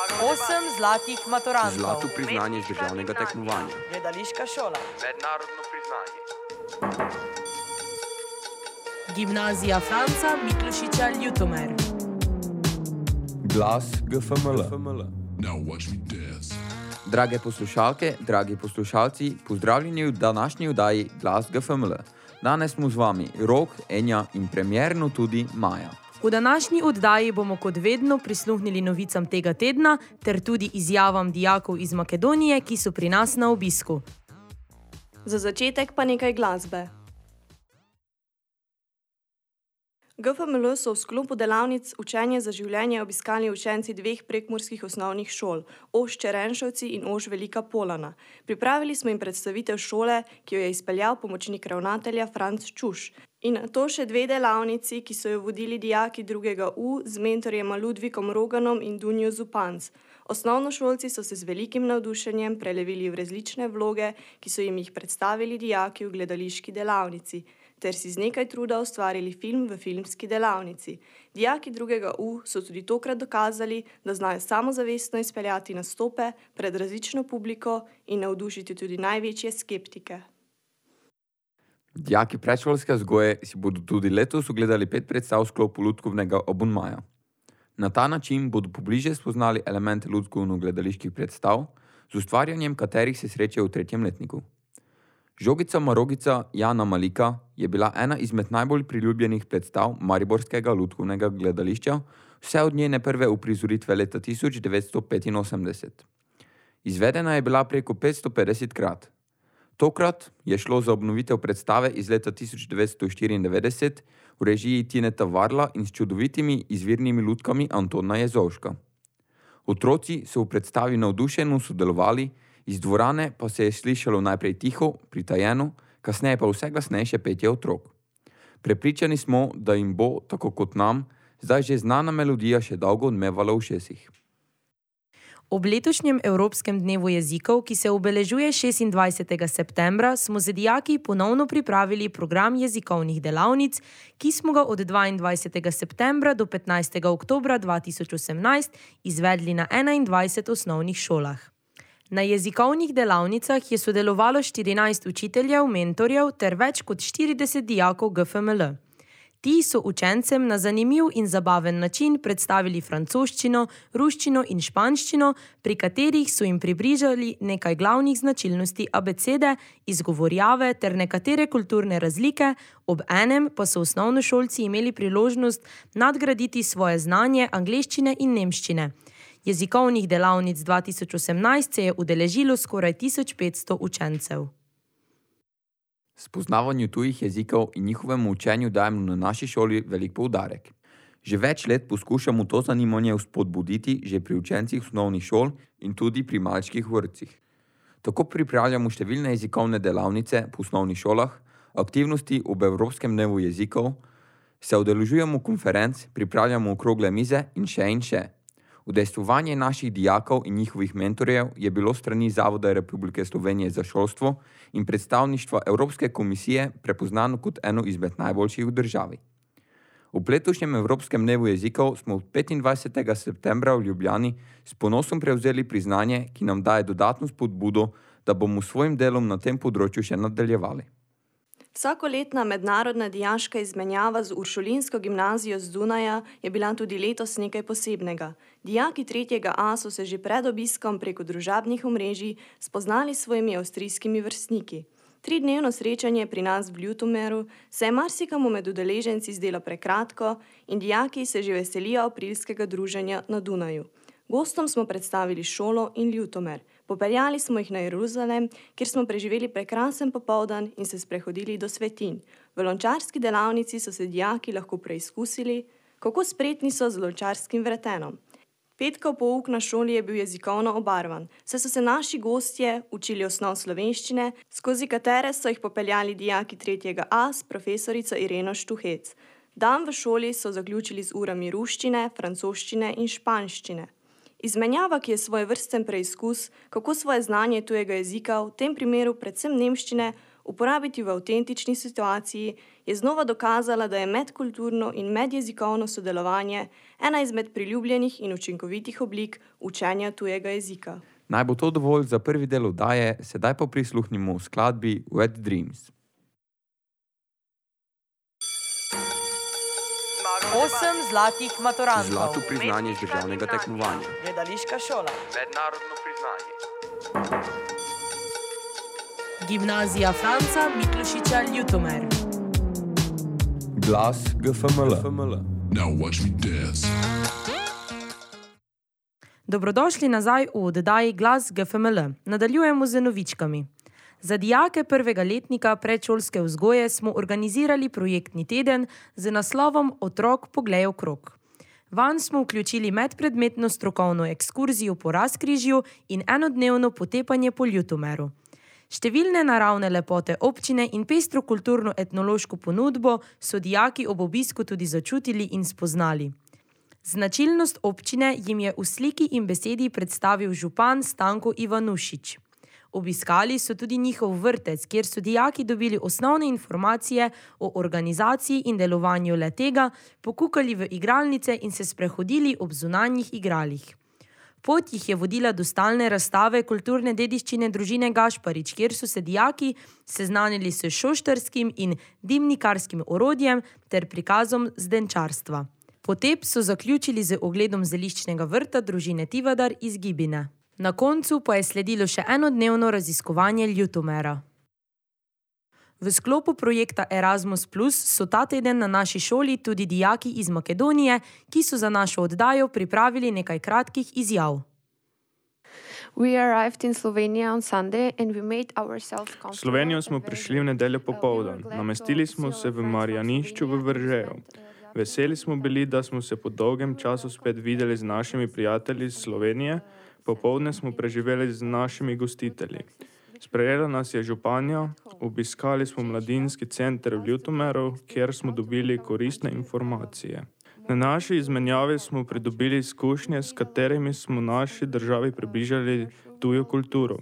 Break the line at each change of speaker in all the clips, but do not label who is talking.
8 zlatih maturantov.
Zlato priznanje z državnega tekmovanja.
Gledališka šola.
Mednarodno priznanje.
Gimnazija Franca Miklošiča Ljutomer.
Glas GFML.
Now watch me dance.
Drage poslušalke, dragi poslušalci, pozdravljeni v današnji oddaji Glas GFML. Danes smo z vami Rok, Enja in premierno tudi Maja.
V današnji oddaji bomo kot vedno prisluhnili novicam tega tedna ter tudi izjavam dijakov iz Makedonije, ki so pri nas na obisku.
Za začetek pa nekaj glasbe. GFML so v sklopu delavnic Učenje za življenje obiskali učenci dveh prekmurskih osnovnih šol, Oš Čerenšovci in Oš Velika Polana. Pripravili smo jim predstavitev šole, ki jo je izpeljal pomočnik ravnatelja Franc Čuš. In to še dve delavnici, ki so jo vodili dijaki 2. U z mentorjema Ludvikom Roganom in Dunjo Zupanc. Osnovnošolci so se z velikim navdušenjem prelevili v različne vloge, ki so jim jih predstavili dijaki v gledališki delavnici, ter si z nekaj truda ustvarili film v filmski delavnici. Dijaki 2. U so tudi tokrat dokazali, da znajo samozavestno izpeljati nastope pred različno publiko in navdušiti tudi največje skeptike.
Dijaki predšolske vzgoje si bodo tudi letos ogledali 5 predstav v sklopu lutkovnega obunmaja. Na ta način bodo pobliže spoznali elemente lutkovno-gledaliških predstav, z ustvarjanjem katerih se srečajo v 3. letniku. Žogica Marogica Jana Malika je bila ena izmed najbolj priljubljenih predstav mariborskega lutkovnega gledališča, vse od njene prve uprizoritve leta 1985. Izvedena je bila preko 550 krat. Tokrat je šlo za obnovitev predstave iz leta 1994 v režiji Tineta Varla in s čudovitimi izvirnimi lutkami Antona Jezovška. Otroci so v predstavi navdušeno sodelovali, iz dvorane pa se je slišalo najprej tiho, pritajeno, kasneje pa vse glasnejše petje otrok. Prepričani smo, da jim bo, tako kot nam, zdaj že znana melodija še dolgo odmevala v ušesih.
Ob letošnjem Evropskem dnevu jezikov, ki se obeležuje 26. septembra, smo z dijaki ponovno pripravili program jezikovnih delavnic, ki smo ga od 22. septembra do 15. oktobra 2018 izvedli na 21 osnovnih šolah. Na jezikovnih delavnicah je sodelovalo 14 učiteljev, mentorjev ter več kot 40 dijakov GFML. Ti so učencem na zanimiv in zabaven način predstavili francoščino, ruščino in španščino, pri katerih so jim približali nekaj glavnih značilnosti abecede, izgovorjave ter nekatere kulturne razlike, ob enem pa so osnovnošolci imeli priložnost nadgraditi svoje znanje angleščine in nemščine. Jezikovnih delavnic 2018 se je udeležilo skoraj 1500 učencev.
Spoznavanju tujih jezikov in njihovemu učenju dajemo na naši šoli velik poudarek. Že več let poskušamo to zanimanje vzpodbuditi že pri učencih osnovnih šol in tudi pri malčkih vrtcih. Tako pripravljamo številne jezikovne delavnice po osnovnih šolah, aktivnosti ob Evropskem dnevu jezikov, se udeležujemo konferenc, pripravljamo okrogle mize in še. Udejstvovanje naših dijakov in njihovih mentorjev je bilo strani Zavoda Republike Slovenije za šolstvo in predstavništva Evropske komisije prepoznano kot eno izmed najboljših v državi. V letošnjem Evropskem dnevu jezikov smo 25. septembra v Ljubljani s ponosom prevzeli priznanje, ki nam daje dodatno spodbudo, da bomo s svojim delom na tem področju še nadaljevali.
Vsakoletna mednarodna dijaška izmenjava z Uršulinsko gimnazijo z Dunaja je bila tudi letos nekaj posebnega. Dijaki 3. A so se že pred obiskom preko družabnih omrežij spoznali s svojimi avstrijskimi vrstniki. 3-dnevno srečanje pri nas v Ljutomeru se je marsikomu med udeleženci zdelo prekratko in dijaki se že veselijo aprilskega druženja na Dunaju. Gostom smo predstavili šolo in Ljutomer. Popeljali smo jih na Jeruzalem, kjer smo preživeli prekrasen popoldan in se sprehodili do svetinj. V lončarski delavnici so se dijaki lahko preizkusili, kako spretni so z lončarskim vretenom. Petkov pouk na šoli je bil jezikovno obarvan, saj so se naši gostje učili osnov slovenščine, skozi katere so jih popeljali dijaki 3. A s profesorico Ireno Štuhec. Dan v šoli so zaključili z urami ruščine, francoščine in španščine. Izmenjava, ki je svojevrsten preizkus, kako svoje znanje tujega jezika, v tem primeru predvsem nemščine, uporabiti v avtentični situaciji, je znova dokazala, da je medkulturno in medjezikovno sodelovanje ena izmed priljubljenih in učinkovitih oblik učenja tujega jezika.
Naj bo to dovolj za prvi del oddaje, sedaj pa prisluhnimo skladbi Wet Dreams.
8 zlatih maturantov.
Zlato priznanje z državnega tekmovanja.
Gledališka šola.
Mednarodno priznanje.
Gimnazija Franca Miklošiča Ljutomer.
Glas GFML.
Now watch me dance.
Dobrodošli nazaj v oddaji Glas GFML. Nadaljujemo z novičkami. Za dijake prvega letnika predšolske vzgoje smo organizirali projektni teden z naslovom Otrok poglej okrog. Vanj smo vključili medpredmetno strokovno ekskurzijo po Razkrižju in enodnevno potepanje po Ljutomeru. Številne naravne lepote občine in pestro kulturno-etnološko ponudbo so dijaki ob obisku tudi začutili in spoznali. Značilnost občine jim je v sliki in besedi predstavil župan Stanko Ivanušič. Obiskali so tudi njihov vrtec, kjer so dijaki dobili osnovne informacije o organizaciji in delovanju le-tega, pokukali v igralnice in se sprehodili ob zunanjih igralih. Pot jih je vodila do stalne razstave kulturne dediščine družine Gašparič, kjer so se dijaki seznanili s šoštarskim in dimnikarskim orodjem ter prikazom zdenčarstva. Potep so zaključili z ogledom zeliščnega vrta družine Tivadar iz Gibine. Na koncu pa je sledilo še enodnevno raziskovanje Ljutomera. V sklopu projekta Erasmus Plus so ta teden na naši šoli tudi dijaki iz Makedonije, ki so za našo oddajo pripravili nekaj kratkih izjav.
V Slovenijo smo prišli v nedeljo popoldan. Namestili smo se v Marjanišču v Veržeju. Veseli smo bili, da smo se po dolgem času spet videli z našimi prijatelji iz Slovenije. Popoldne smo preživeli z našimi gostitelji. Sprejela nas je županja, obiskali smo mladinski center v Ljutomeru, kjer smo dobili koristne informacije. Na naši izmenjavi smo pridobili izkušnje, s katerimi smo naši državi približali tujo kulturo.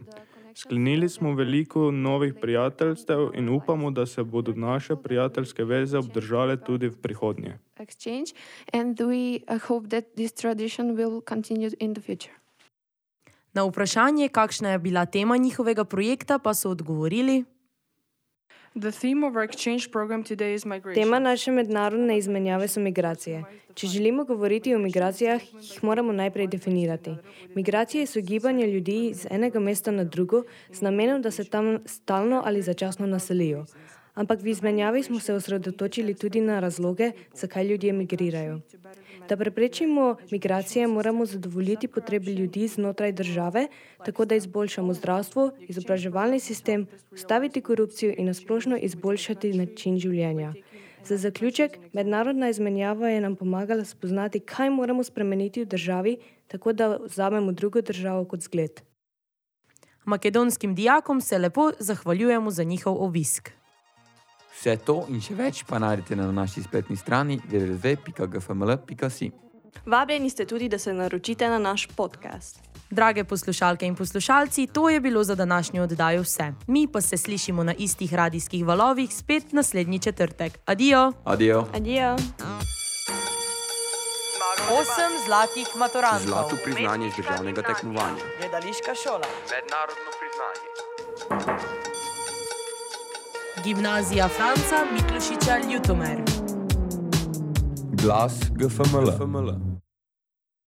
Sklenili smo veliko novih prijateljstev in upamo, da se bodo naše prijateljske veze obdržale tudi v prihodnje.
Na vprašanje, kakšna je bila tema njihovega projekta, pa so odgovorili:
Tema naše mednarodne izmenjave so migracije. Če želimo govoriti o migracijah, jih moramo najprej definirati. Migracije so gibanje ljudi z enega mesta na drugo z namenom, da se tam stalno ali začasno naselijo. Ampak v izmenjavi smo se osredotočili tudi na razloge, zakaj ljudje migrirajo. Da preprečimo migracije, moramo zadovoljiti potrebe ljudi znotraj države, tako da izboljšamo zdravstvo, izobraževalni sistem, ustaviti korupcijo in nasplošno izboljšati način življenja. Za zaključek, mednarodna izmenjava je nam pomagala spoznati, kaj moramo spremeniti v državi, tako da vzamemo drugo državo kot zgled.
Makedonskim dijakom se lepo zahvaljujemo za njihov obisk.
Vse to in še več pa najdete na naši spletni strani www.gfml.si.
Vabljeni ste tudi, da se naročite na naš podcast.
Drage poslušalke in poslušalci, to je bilo za današnjo oddajo vse. Mi pa se slišimo na istih radijskih valovih spet naslednji četrtek. Adijo!
Adijo!
Adijo!
8 zlatih maturantov.
Zlato priznanje z državnega tekmovanja.
Gledališka šola.
Mednarodno priznanje.
Gimnazija Franca Miklošiča Ljutomer.
Glas GFML.